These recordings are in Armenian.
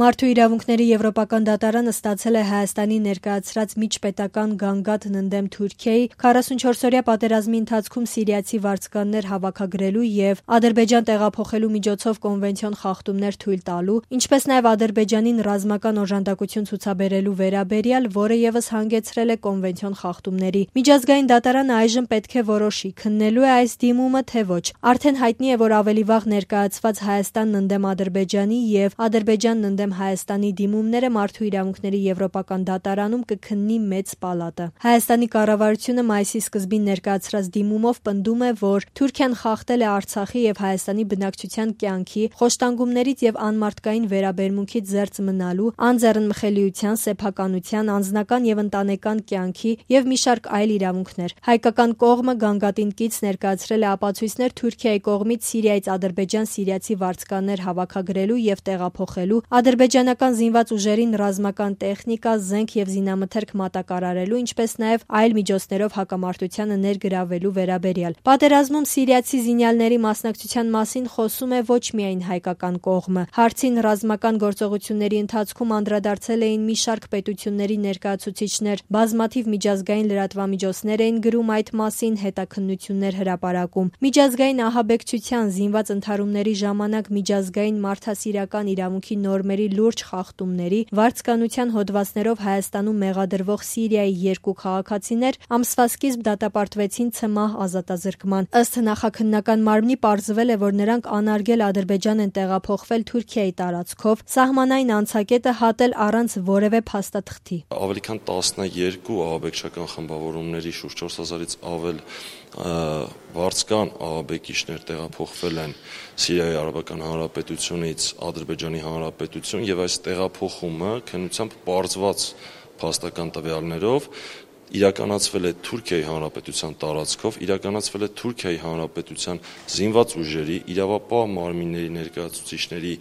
Մարդու իրավունքների եվրոպական դատարանը ստացել է Հայաստանի ներկայացրած միջպետական գանգատն ընդդեմ Թուրքիայի 44-օրյա պատերազմի ընթացքում սիրիացի վարձկաններ հավաքագրելու և Ադրբեջան տեղափոխելու միջոցով կոնվենցիոն խախտումներ թույլ տալու, ինչպես նաև Ադրբեջանին ռազմական օժանդակություն ցուցաբերելու վերաբերյալ, որը ևս հանգեցրել է կոնվենցիոն խախտումների։ Միջազգային դատարանը այժմ պետք է որոշի՝ քննելու է այս դիմումը, թե ոչ։ Արդեն հայտնի է, որ ավելի վաղ ներկայացված Հայաստանն ընդդեմ Ադրբեջանի և Ադրբեջանն ընդդեմ Հայաստանի դիմումները Մարդու իրավունքների եվրոպական դատարանում կքննի մեծ պալատը։ Հայաստանի կառավարությունը մայիսի սկզբին ներկայացրած դիմումով պնդում է, որ Թուրքիան խախտել է Արցախի և Հայաստանի բնակչության կյանքի, խոշտանգումներից և անմարդկային վերաբերմունքից զերծ մնալու, անձեռնմխելիության, սեփականության, անձնական և ընտանեկան կյանքի և մի շարք այլ իրավունքներ։ Հայկական կողմը գանգատին կից ներկայացրել է ապացույցներ Թուրքիայի կողմից Սիրիայից Ադրբեջան սիրիացի վարձկաններ հավաքագրելու և տեղափոխելու, ադրբեջանական զինված ուժերին ռազմական տեխնիկա, զենք և զինամթերք մատակարարելու, ինչպես նաև այլ միջոցներով հակամարտությանը ներգրավելու վերաբերյալ։ Պատերազմում սիրիացի զինյալների մասնակցության մասին խոսում է ոչ միայն հայկական կողմը։ Հարցին ռազմական գործողությունների ընթացքում անդրադարձել էին մի շարք պետությունների ներկայացուցիչներ, բազմաթիվ միջազգային լրատվամիջոցներ էին գրում այդ մասին, հետաքննություններ հրապարակում։ Միջազգային ահաբեկչության, զինված ընդհարումների ժամանակ միջազգային մարդասիրական իրավունքի նորմերի լուրջ խախտումների, վարձկանության հոդվածներով Հայաստանում մեղադրվող Սիրիայի 2 քաղաքացիներ ամսվա սկիզբ դատապարտվեցին ցմահ ազատազրկման։ Ըստ նախաքննական մարմնի պարզվել է, որ նրանք անարգել Ադրբեջան են տեղափոխվել Թուրքիայի տարածքով, սահմանային անցակետը հատել առանց որևէ փաստաթղթի։ Ավելի քան 12 ահաբեկչական խմբավորումների շուրջ 4000-ից ավել վարձկան ահաբեկիչներ տեղափոխվել են Սիրիայի Արաբական Հանրապետությունից Ադրբեջանի Հանրապետություն եւ այս տեղափոխումը քննությամբ պարզված փաստական տվյալներով իրականացվել է Թուրքիայի Հանրապետության տարածքով, իրականացվել է Թուրքիայի Հանրապետության զինված ուժերի, իրավապահ մարմինների ներկայացուցիչների,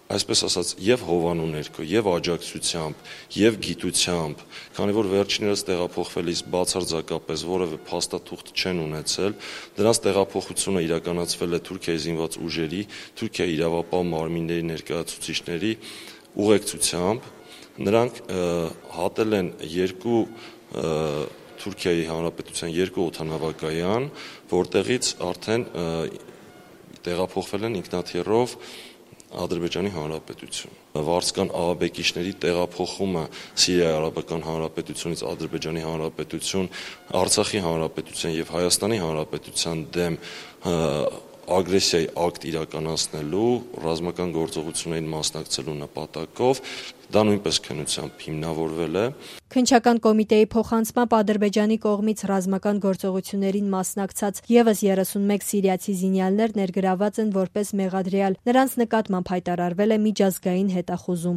այսպես ասած, եւ հովանու ներքո, եւ աջակցությամբ, եւ գիտությամբ, քանի որ վերջիններս տեղափոխվելիս բացարձակապես որևէ փաստաթուղթ չեն ունեցել, դրանց տեղափոխությունը իրականացվել է Թուրքիայի զինված ուժերի, Թուրքիայի իրավապահ մարմինների ներկայացուցիչների ուղեկցությամբ։ Նրանք հատել են Թուրքիայի Հանրապետության 2 օդանավակայան, որտեղից արդեն տեղափոխվել են ինքնաթիռով Ադրբեջանի Հանրապետություն։ Վարձկան ահաբեկիչների տեղափոխումը Սիրիայի Արաբական Հանրապետությունից Ադրբեջանի Հանրապետություն, Արցախի Հանրապետության եւ Հայաստանի Հանրապետության դեմ ագրեսիայի ակտ իրականացնելու, ռազմական գործողություններին մասնակցելու նպատակով դա նույնպես քննությամբ հիմնավորվել է։ Քննչական կոմիտեի փոխանցմամբ Ադրբեջանի կողմից ռազմական գործողություններին մասնակցած ևս 31 սիրիացի զինյալներ ներգրավված են որպես մեղադրյալ։ Նրանց նկատմամբ հայտարարվել է միջազգային հետախուզում։